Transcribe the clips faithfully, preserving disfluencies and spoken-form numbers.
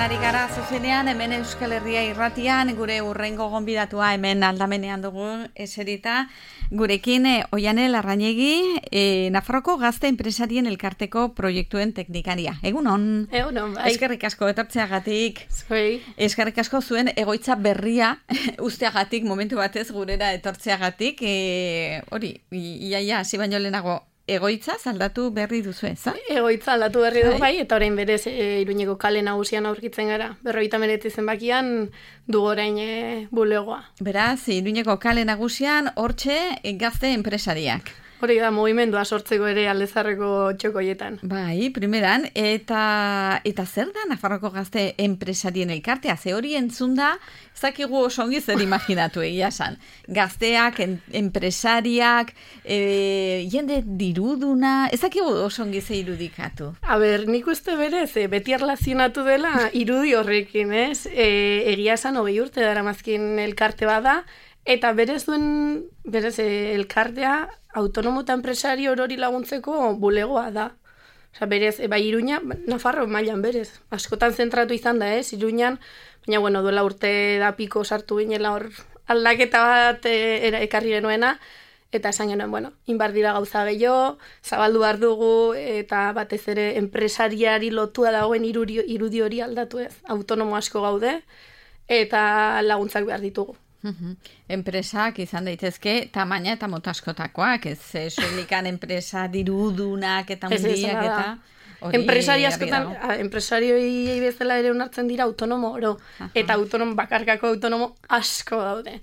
Horretan ari gara zuzenean, hemen Euskal Herria irratian, gure urrengo gonbidatua hemen aldamenean dugu eserita. Gurekin eh, Oiane Larrañegi, eh, Nafarroko gazte enpresarien elkarteko proiektuen teknikaria. Egunon? Egunon, bai. Eskerrik asko etortzeagatik. Zoi. Eskerrik asko zuen egoitza berria usteagatik, momentu batez gurera etortzeagatik. Eh, hori, iaia, hasi baino lehenago, egoitza aldatu berri duzu, ez? Egoitza aldatu berri dugu bai, eta orain berez e, Iruñeko kale nagusian aurkitzen gara. Berrogeita hemeretzi zenbakian dugu orain e, bulegoa. Beraz, Iruñeko kale nagusian hortxe gazte enpresariak. Hori da, mugimendua sortzeko ere aldezarreko txokoietan. Bai, primeran, eta eta zer da Nafarroko gazte enpresarien elkartea? Ze hori entzun da, ez dakigu oso ongi zer imaginatu egia esan. Gazteak, en, enpresariak, e, jende diruduna, ez dakigu oso ongi ze irudikatu. A ber, nik uste berez, e, beti erlazionatu dela irudi horrekin, ez? E, egia esan hogei urte daramazkin elkarte bada, eta berez duen, berez e, elkartea, autonomo eta enpresari orori laguntzeko bulegoa da. Osa, berez, e, bai Iruña, Nafarro mailan berez. Askotan zentratu izan da, ez, Iruñan, baina, bueno, duela urte da piko sartu ginela hor aldaketa bat e, era, ekarri genuena, eta esan genuen, bueno, inbar dira gauza gehiago, zabaldu behar dugu, eta batez ere enpresariari lotua dagoen irudi, irudi hori aldatu ez. Autonomo asko gaude, eta laguntzak behar ditugu. Uhum. Enpresak izan daitezke tamaina eta mota askotakoak, ez soilikan enpresa dirudunak eta hundiak eta hori. Enpresari askotan, enpresarioi bezala ere onartzen dira autonomo oro, aha, eta autonomo bakarkako autonomo asko daude.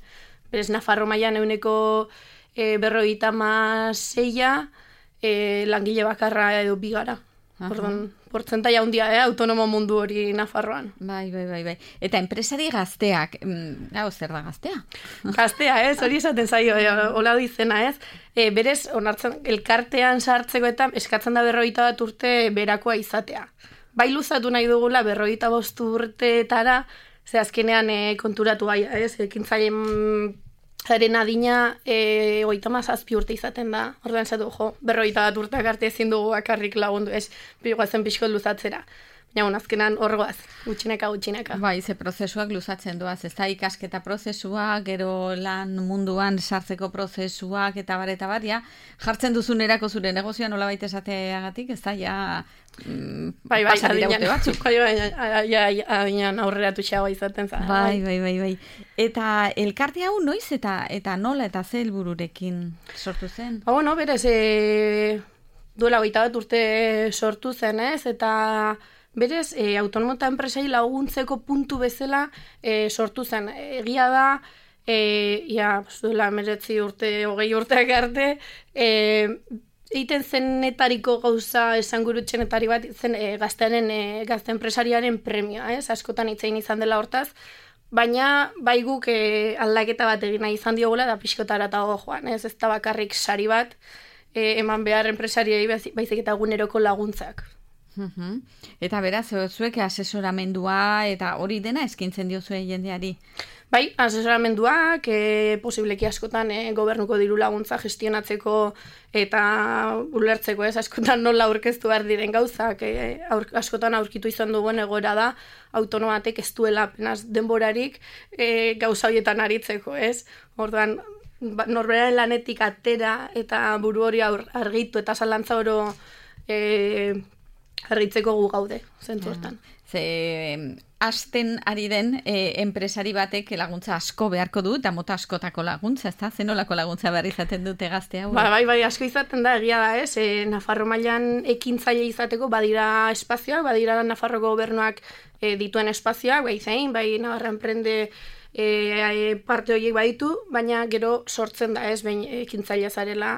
Berez Nafarro mailan euneko e, berrogeita hamaseia e, langile bakarra edo bigara. Orduan, portzentaia handia, eh, autonomo mundu hori Nafarroan. Bai, bai, bai, bai. Eta enpresari gazteak, hau zer da gaztea? Gaztea, ez, hori esaten zaio, eh, hola du izena, ez. E, berez, onartzen, elkartean sartzeko eta eskatzen da berrogeita bat urte berakoa izatea. Bai luzatu nahi dugula berrogeita bost urteetara, ze azkenean e, konturatu bai, ez, ekintzaileen zaren adina e, oita mazazpi urte izaten da. Orduan zatu, jo, berrogeita bat urteak arte ezin dugu bakarrik lagundu, ez, bigoazen pixko luzatzera. Baina, azkenan horgoaz, gutxineka, gutxineka. Bai, ze prozesuak luzatzen doaz, ez da ikasketa prozesua, gero lan munduan sartzeko prozesuak, eta bar, eta bar, ja, jartzen duzun erako zure negozioa nola baita esateagatik, ez da, ja, mm, bai, bai, pasa dira urte batzuk. Bai, bai, adinean aurreratu xagoa izaten za. Bai, bai, bai, bai. Eta elkarte hau noiz eta eta nola eta ze helbururekin sortu zen? Ba, bueno, berez, e, duela hogeita bat urte sortu zen, ez, eta berez, e, autonomo eta enpresai laguntzeko puntu bezala e, sortu zen. Egia da, e, ja, duela meretzi urte, hogei urteak arte, e, egiten zenetariko gauza esangurutxenetari bat, zen e, gaztearen, e, gazte enpresariaren premia, ez? Askotan hitzein izan dela hortaz, baina bai guk e, aldaketa bat egin nahi izan diogola da pixkotara eta joan, ez? Ez da bakarrik sari bat, e, eman behar enpresariei baizik eta eguneroko laguntzak. Uhum. Eta beraz, zuek asesoramendua eta hori dena eskintzen diozue jendeari? Bai, asesoramenduak, e, posibleki askotan e, gobernuko diru laguntza gestionatzeko eta ulertzeko, ez, askotan nola aurkeztu behar diren gauzak, e, aur, askotan aurkitu izan duguen egoera da, autonomatek ez duela apenas denborarik e, gauza horietan aritzeko, ez? Orduan, norberaren lanetik atera eta buru hori argitu eta zalantza oro e, argitzeko gu gaude, zentzu hortan. Ze hasten ari den e, enpresari batek laguntza asko beharko du, eta mota askotako laguntza, ez da? Zenolako laguntza behar izaten dute gazte hau? Ba, bai, bai, asko izaten da, egia da, ez? E, Nafarro mailan ekintzaile izateko badira espazioak, badira Nafarroko gobernuak e, dituen espazioak, bai zein, bai Navarra Emprende e, e, parte horiek baditu, baina gero sortzen da, ez, behin ekintzailea zarela,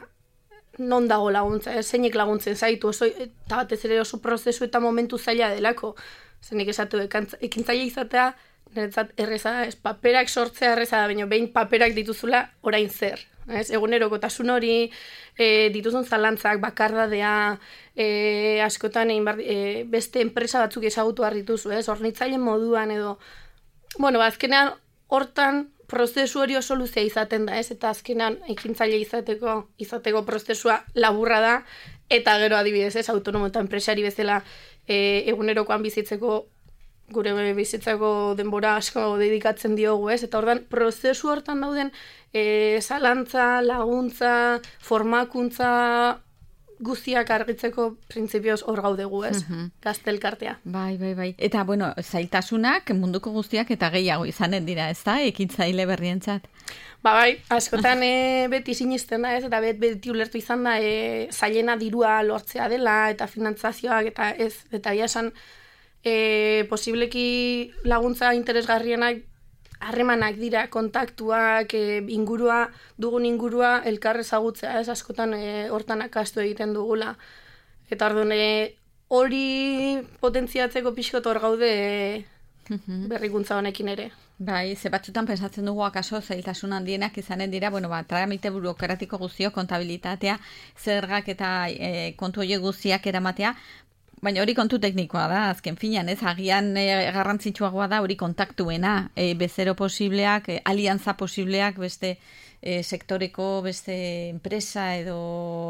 non dago laguntza, ez, zeinek laguntzen zaitu, oso, eta batez ere oso prozesu eta momentu zaila delako. Zenik esatu, ekintzaile izatea, niretzat erreza, ez, paperak sortzea erreza da, baina behin paperak dituzula orain zer. Ez, egunerokotasun hori, e, dituzun zalantzak, bakardadea, e, askotan egin bar, e, beste enpresa batzuk ezagutu behar dituzu, ez, hornitzailen moduan edo, bueno, azkenean hortan prozesu hori oso luzea izaten da, ez? Eta azkenan ekintzaile izateko izateko prozesua laburra da, eta gero adibidez, ez, autonomo eta enpresari bezala e, egunerokoan bizitzeko gure bizitzako denbora asko dedikatzen diogu, ez? Eta ordan prozesu hortan dauden e, zalantza, laguntza, formakuntza guztiak argitzeko printzipioz hor gaudegu, ez? Uh-huh. Gaztelkartea. Bai, bai, bai. Eta, bueno, zailtasunak munduko guztiak eta gehiago izanen dira, ez da? Ekintzaile berrientzat. Ba, bai, askotan e, beti sinisten da, ez? Eta bet, beti ulertu izan da e, zailena dirua lortzea dela eta finantzazioak eta ez, eta ia esan e, posibleki laguntza interesgarrienak harremanak dira, kontaktuak, e, ingurua, dugun ingurua elkar ezagutzea, ez askotan e, hortan akastu egiten dugula. Eta orduan e, hori potentziatzeko pixkot hor gaude e, berrikuntza honekin ere. Bai, ze batzutan pensatzen dugu akaso zailtasun handienak izanen dira, bueno, ba, tramite burokratiko guztio, kontabilitatea, zergak eta e, kontu horiek guztiak eramatea, baina hori kontu teknikoa da, azken finean, ez, agian e, garrantzitsuagoa da hori kontaktuena, e, bezero posibleak, e, alianza posibleak, beste e, sektoreko, beste enpresa edo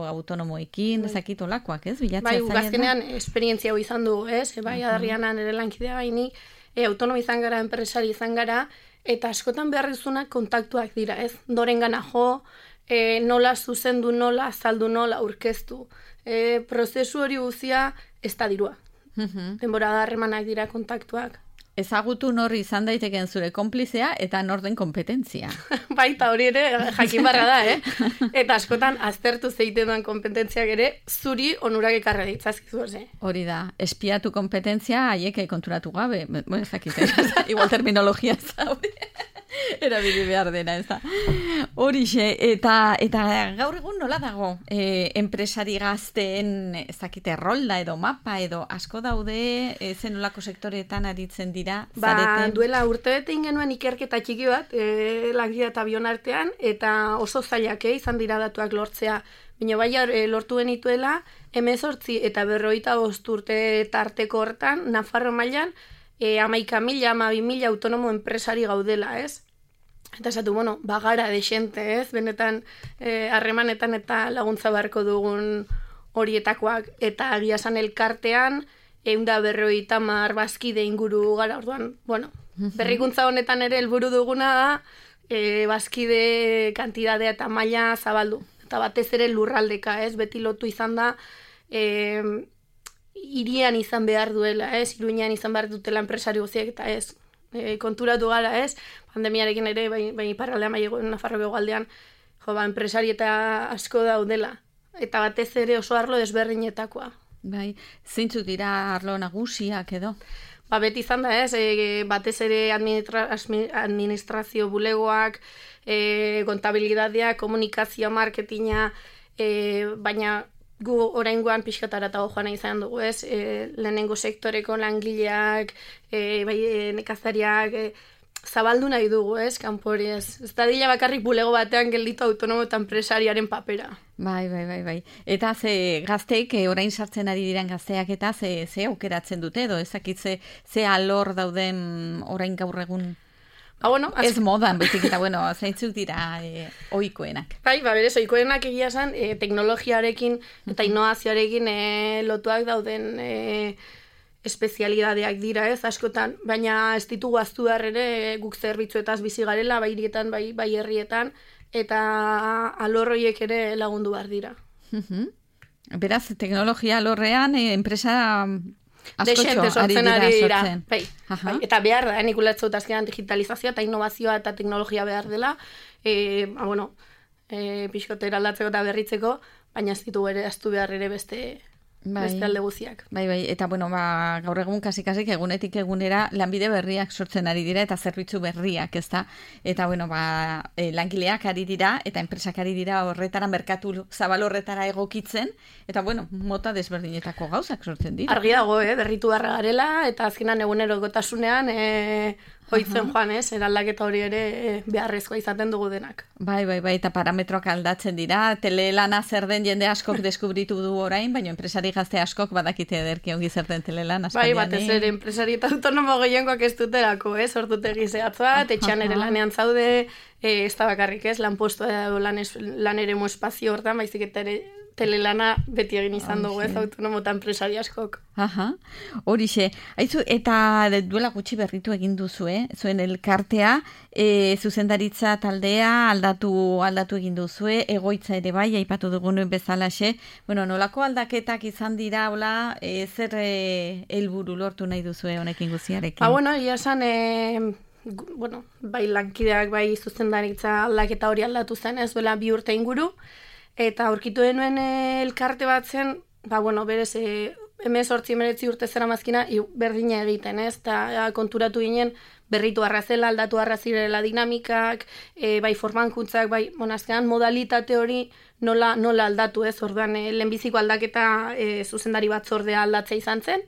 autonomoekin, bai. Ezakit olakoak, ez, bilatzea bai, zaila da? Bai, gazkenean esperientzia hau izan du, ez, e, bai, uh-huh. adarrianan ere lankidea baini, e, autonomo izan gara, enpresari izan gara, eta askotan beharrizunak kontaktuak dira, ez, dorengana jo, e, nola zuzendu, nola azaldu, nola aurkeztu. E, prozesu hori guztia ez da dirua. Uh-huh. Denbora da harremanak dira kontaktuak. Ezagutu nor izan daiteken zure konplizea eta nor den kompetentzia. Baita hori ere jakin barra da, eh? Eta askotan aztertu zeiten duen kompetentziak ere zuri onurak ekarra ditzazkizu, eh? Hori da, espiatu kompetentzia haiek konturatu gabe. Bueno, ez dakit, igual terminologia ez da hori. Erabili behar dena, ez da. Horixe, eta, eta gaur egun nola dago? E, enpresari gazteen, ez dakite, rolda edo mapa edo asko daude, e, zenolako sektoreetan aritzen dira, ba, zareten? Duela urte bete ingenuen ikerketa txiki bat, e, langile eta bion artean, eta oso zailak eh, izan dira datuak lortzea. Baina bai e, lortu benituela, hemezortzi eta berrogeita bost urte tarteko hortan, Nafarro mailan, E, amaika mila, amabi mila autonomo enpresari gaudela, ez? Eta esatu, bueno, bagara desente, ez? Benetan, harremanetan e, eta laguntza beharko dugun horietakoak. Eta agia esan elkartean, eunda berrogeita hamar bazkide inguru gara, orduan, bueno, berrikuntza honetan ere helburu duguna da, e, bazkide kantidadea eta maila zabaldu. Eta batez ere lurraldeka, ez? Beti lotu izan da, e, irian izan behar duela, ez? Iruinean izan behar dutela enpresari guztiak eta ez. E, konturatu gara, ez? Pandemiarekin ere, bai, bai parraldean, bai Nafarroko hegoaldean, jo, ba, enpresari eta asko daudela. Eta batez ere oso arlo desberdinetakoa. Bai, zeintzuk dira arlo nagusiak edo? Ba, beti izan da, ez? E, batez ere administra, administrazio bulegoak, e, kontabilidadeak, komunikazio, marketinga, e, baina gu oraingoan pixkatara eta joan izan dugu, ez? E, lehenengo sektoreko langileak, e, bai, e, nekazariak, e, zabaldu nahi dugu, ez? Kanpori, ez? Ez da dila bakarrik bulego batean gelditu autonomo eta enpresariaren papera. Bai, bai, bai, bai. Eta ze gazteek, e, orain sartzen ari diren gazteak eta ze, ze aukeratzen dute edo, ezakit ze, ze alor dauden orain gaur egun? Ba, bueno, az... Ez modan, bezik eta, bueno, zeintzuk dira e, ohikoenak. Bai, ba, berez, ohikoenak egia esan, e, teknologiarekin eta innovazioarekin e, lotuak dauden e, espezialidadeak dira, ez, askotan, baina ez ditugu aztu behar ere e, guk zerbitzuetaz bizi garela, bai hirietan, bai, bai herrietan, eta alorroiek ere lagundu behar dira. Uh-huh. Beraz, teknologia alorrean, e, enpresa... Desente sortzen ari dira. Bai, bai. Eta behar da, nik ulertzot azkenan digitalizazioa eta innovazioa eta teknologia behar dela, e, ba, bueno, e, pixkotera aldatzeko eta berritzeko, baina ez ditugu ere aztu behar ere beste, bai, beste alde guziak. Bai, bai, eta bueno, ba, gaur egun kasik-kasik egunetik egunera lanbide berriak sortzen ari dira eta zerbitzu berriak, ezta? Eta bueno, ba, e, langileak ari dira eta enpresak ari dira horretara, merkatu zabal horretara egokitzen, eta bueno, mota desberdinetako gauzak sortzen dira. Argi dago, eh, berritu barra garela, eta azkenan egunerokotasunean e, hoitzen joan, ez, eraldaketa hori ere e, beharrezkoa izaten dugu denak. Bai, bai, bai, eta parametroak aldatzen dira, telelana zer den jende askok deskubritu du orain, baina enpresari gazte askok badakite ederki ongi zer den telelan. Bai, batez ere enpresari eta autonomo gehiengoak ez duterako, ez, ordutek gizeatz bat, etxean ere lanean zaude, e, ez da bakarrik ez, lanpostua edo lan, lan eremu espazio hortan, baizik eta ere telelana beti egin izan dugu, ez, autonomo eta enpresari askok. Aha, horixe. Aizu, eta duela gutxi berritu egin duzu, eh? Zuen elkartea, e, zuzendaritza taldea aldatu aldatu egin duzue, egoitza ere bai, aipatu dugun bezalaxe. Bueno, nolako aldaketak izan dira, hola, e, zer e, helburu lortu nahi duzue honekin guziarekin? Ba, bueno, ia esan, e, bueno, bai lankideak, bai zuzendaritza aldaketa hori aldatu zen, ez duela bi urte inguru, eta aurkitu denuen elkarte bat zen, ba, bueno, berez, e, hemezortzi hemeretzi urte zera mazkina, berdina egiten, ez? Eta konturatu ginen, berritu arrazela, aldatu arrazirela dinamikak, e, bai formankuntzak, bai, monazkean, modalitate hori nola, nola aldatu, ez? Orduan, e, lehenbiziko aldaketa e, zuzendari batzordea aldatzea izan zen,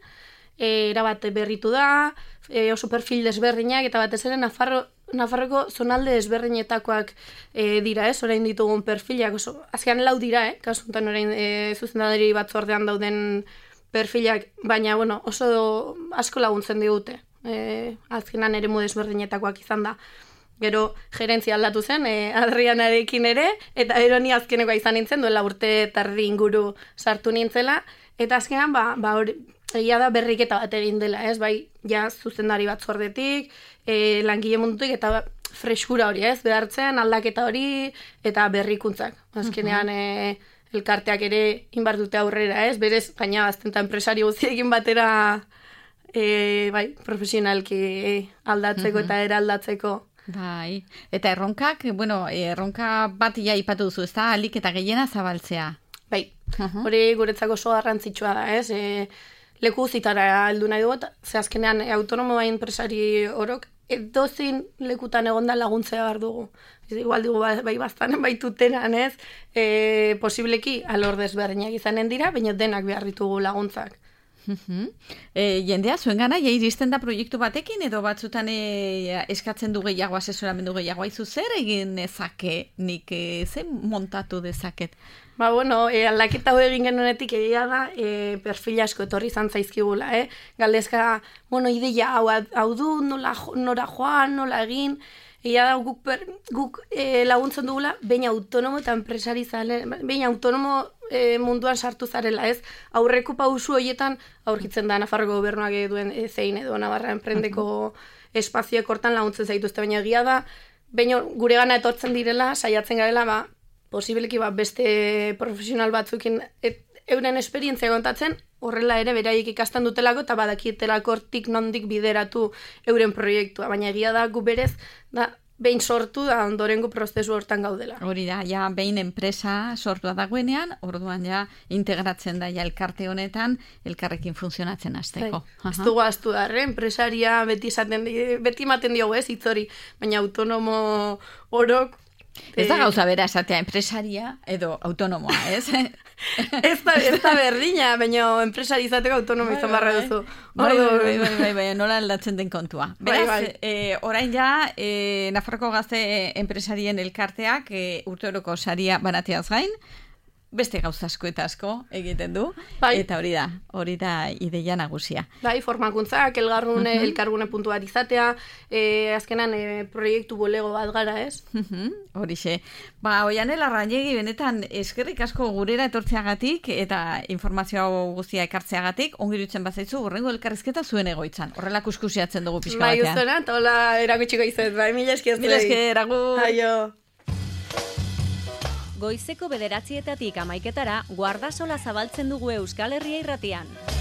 e, erabat berritu da, e, oso perfil desberdinak, eta batez ere Nafarro, Nafarroko zonalde desberdinetakoak e, dira, ez, orain ditugun perfilak, oso, azkean lau dira, eh, kasuntan orain e, zuzendari batzordean dauden perfilak, baina, bueno, oso asko laguntzen digute, e, azkenan ere desberdinetakoak izan da. Gero, gerentzia aldatu zen, e, Adrianarekin ere, eta eroni azkenekoa izan nintzen, duela urte tardi inguru sartu nintzela, eta azkenan, ba, ba hori, egia da berriketa bat egin dela, ez, bai, ja, zuzendari batzordetik, e, langile mundutik, eta freskura hori, ez, behartzen, aldaketa hori, eta berrikuntzak. Azkenean, e, elkarteak ere inbar dute aurrera, ez, berez, gaina azten eta enpresari guztiekin batera, e, bai, profesionalki aldatzeko uh-huh. eta eraldatzeko. Bai, eta erronkak, bueno, erronka bat ja ipatu duzu, ez da, alik eta gehiena zabaltzea. Bai, uh-huh. hori guretzako oso garrantzitsua da, ez, e, leku zitara heldu nahi dugu, ze azkenean e, autonomo bai enpresari orok, edozin lekutan egonda laguntzea behar dugu. Ez, igual dugu bai baztanen baituteran, ez, e, posibleki alor desberdinak izanen dira, baina denak behar ditugu laguntzak. Uh-huh. E, jendea, zuen gana, ja iristen da proiektu batekin, edo batzutan e, eskatzen du gehiago, asesoramendu gehiago, aizu zer egin ezake, nik e, zen montatu dezaket? Ba, bueno, e, aldaketa hori egin genuenetik egia da, e, perfil asko etorri izan zaizkigula, eh? Galdezka, bueno, ideia hau, hau du, nola, nora joan, nola egin, egia da guk, per, guk e, laguntzen dugula, baina autonomo eta enpresari zale, baina autonomo e, munduan sartu zarela, ez? Aurreko pausu horietan aurkitzen da Nafarroko gobernuak duen e, zein edo Navarra enprendeko espazioek hortan laguntzen zaituzte, baina egia da, baina gure gana etortzen direla, saiatzen garela, ba, posibileki ba, beste profesional batzukin et, euren esperientzia kontatzen, horrela ere beraiek ikasten dutelako eta badakietelako hortik nondik bideratu euren proiektua. Baina egia da gu berez, da, behin sortu da ondorengo prozesu hortan gaudela. Hori da, ja behin enpresa sortua dagoenean, orduan ja integratzen da ja elkarte honetan, elkarrekin funtzionatzen hasteko. Ez dugu aztu da, enpresaria beti, izaten, beti ematen diogu ez, hitzori, baina autonomo orok, ez da gauza bera esatea, enpresaria edo autonomoa, ez? ez, da, ez da berdina, baina enpresari izateko autonomo izan barra duzu. Bai, bai, bai, bai, bai, bai, nola aldatzen den kontua. Beraz, bai, bai. E, orain ja, e, Nafarroko Gazte enpresarien elkarteak e, urteoroko saria banateaz gain, beste gauza asko eta asko egiten du, bai. Eta hori da, hori da ideia nagusia. Bai, formakuntzak, elgarrune, uh-huh. elkargune puntuar izatea, e, azkenan e, proiektu bolego bat gara, ez? Uh-huh. Horixe. Ba, Oianel Arrañegi, benetan eskerrik asko gurera etortzeagatik eta informazio guztia ekartzeagatik, ongirutzen bazaizu, horrengo elkarrizketa zuen egoitzan. Horrela kuskusiatzen dugu pixka batean. Bai, uztona, eta hola erakutxiko izan, bai, mila eski ez Mila eski, agur. Aio. Goizeko bederatzietatik amaiketara, guardasola zabaltzen dugu Euskal Herria irratian.